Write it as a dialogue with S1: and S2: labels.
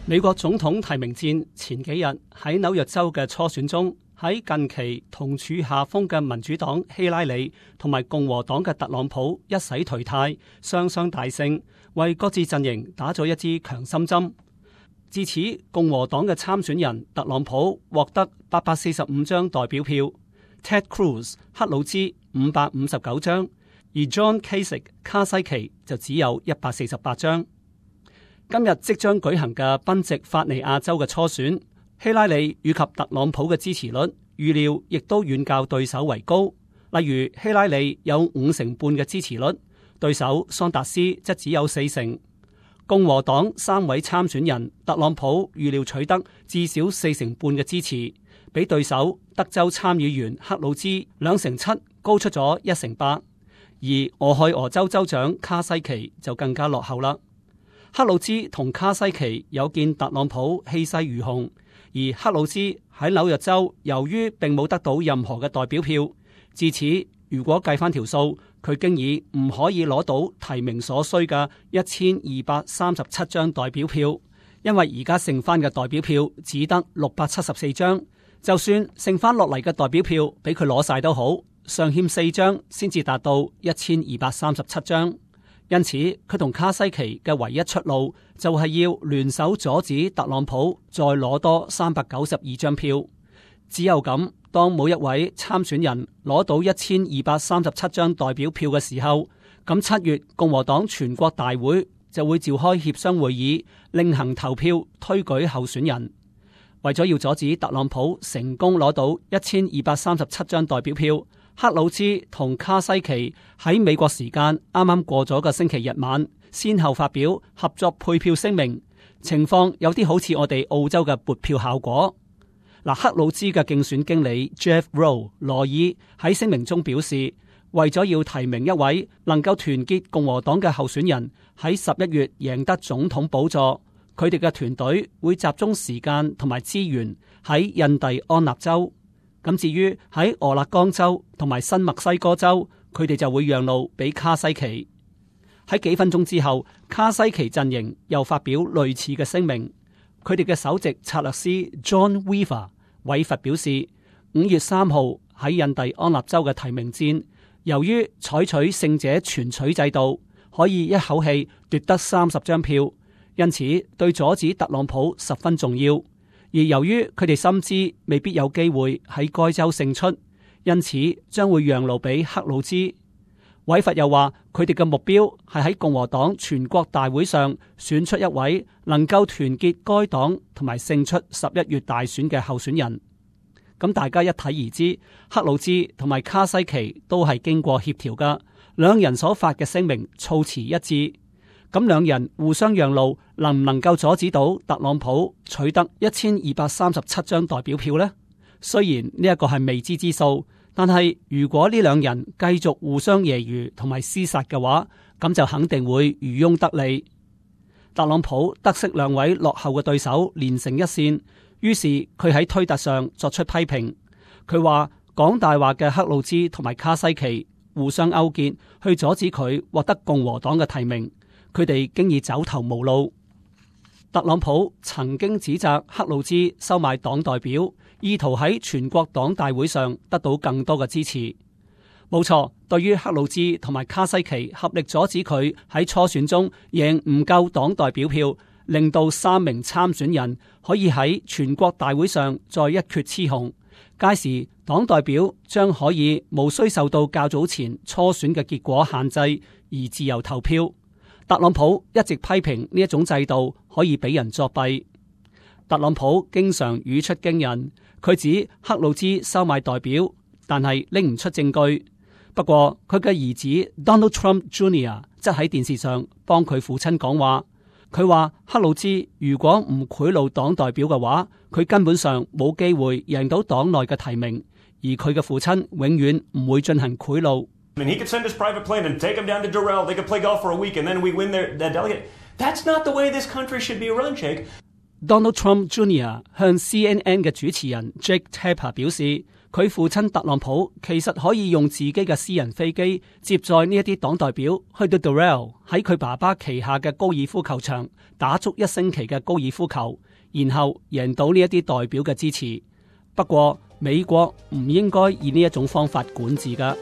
S1: 美國總統提名戰前幾日喺紐約州嘅初選中，喺近期同處下風嘅民主黨希拉里同埋共和黨嘅特朗普一洗頹態，雙雙大勝，為各自陣營打咗一支強心針。至此，共和黨嘅參選人特朗普獲得845張代表票 ，Ted Cruz 克魯茲559張，而 John Kasich 卡西奇就只有148張。今日即將舉行嘅賓夕法尼亞州嘅初選，希拉里以及特朗普嘅支持率預料亦都遠較對手為高。例如希拉里有50%半嘅支持率，對手桑達斯則只有40%。共和黨3位參選人特朗普預料取得至少40%半嘅支持，比對手德州參議員克魯茲2成7高出咗1成8，而俄亥俄州州長卡西奇就更加落後啦。克魯茲同卡西奇有見特朗普氣勢如虹，而克魯茲喺紐約州由於並冇得到任何嘅代表票，至此如果計翻條數，佢經已唔可以攞到提名所需嘅1237張代表票，因為而家剩翻嘅代表票只得674張，就算剩翻落嚟嘅代表票俾佢攞晒都好，尚欠4張先至達到1237張。因此，佢同卡西奇嘅唯一出路就係要聯手阻止特朗普再攞多392張票。只有咁，當每一位參選人攞到1237張代表票嘅時候，咁7月共和黨全國大會就會召開協商會議，另行投票推舉候選人。為咗要阻止特朗普成功攞到1237張代表票，克魯茲同卡西奇喺美國時間啱啱過咗個星期日晚，先後發表合作配票聲明，情況有啲好似我哋澳洲嘅撥票效果。克魯茲嘅競選經理 Jeff Rowe 羅爾喺聲明中表示，為咗要提名一位能夠團結共和黨嘅候選人喺11月贏得總統寶座，佢哋嘅團隊會集中時間同埋資源喺印第安納州。咁至於喺俄勒岡州同埋新墨西哥州，佢哋就會讓路俾卡西奇。喺幾分鐘之後，卡西奇陣營又發表類似嘅聲明。佢哋嘅首席策略師 John Weaver 韋佛表示，5月3號喺印第安納州嘅提名戰，由於採取勝者全取制度，可以一口氣奪得30張票，因此對阻止特朗普十分重要。而由於佢哋深知未必有機會喺該州勝出，因此將會讓路俾克魯茲。韋佛又話，佢哋嘅目標係喺共和黨全國大會上選出一位能夠團結該黨同埋勝出11月大選嘅候選人。咁大家一睇而知，克魯茲同埋卡西奇都係經過協調噶，兩人所發嘅聲明措辭一致。咁兩人互相讓路，能唔能夠阻止到特朗普取得1237張代表票呢？雖然呢一個係未知之數，但係如果呢兩人繼續互相揶揄同埋廝殺嘅話，咁就肯定會漁翁得利。特朗普得悉兩位落後嘅對手連成一線，於是佢喺推特上作出批評。佢話講大話嘅克魯茲同埋卡西奇互相勾結，去阻止佢獲得共和黨嘅提名。佢哋經已走投無路。特朗普曾經指責克魯茲收買黨代表，意圖喺全國黨大會上得到更多嘅支持。冇錯，對於克魯茲同埋卡西奇合力阻止佢喺初選中贏唔夠黨代表票，令到3名參選人可以喺全國大會上再一決雌雄。屆時黨代表將可以無需受到較早前初選嘅結果限制而自由投票。特朗普一直批評呢一種制度可以俾人作弊。特朗普經常語出驚人，佢指克魯茲收買代表，但係拎唔出證據。不過佢嘅兒子 Donald Trump Jr. 則喺電視上幫佢父親講話。佢話克魯茲如果唔賄賂黨代表嘅話，佢根本上冇機會贏到黨內嘅提名，而佢嘅父親永遠唔會進行賄賂。
S2: He could send his private plane and take him down to Doral. They could play golf for a week and then we win their delegate. That's not the way this country should be run, Jake.
S1: Donald Trump Jr. 向 CNN 嘅主持人 Jake Tapper 表示，佢父親特朗普其實可以用自己嘅私人飛機接載呢一啲黨代表去到 Doral 喺佢爸爸旗下嘅高爾夫球場打足1星期嘅高爾夫球，然後贏到呢一啲代表嘅支持。不過美國唔應該以呢一種方法管治㗎。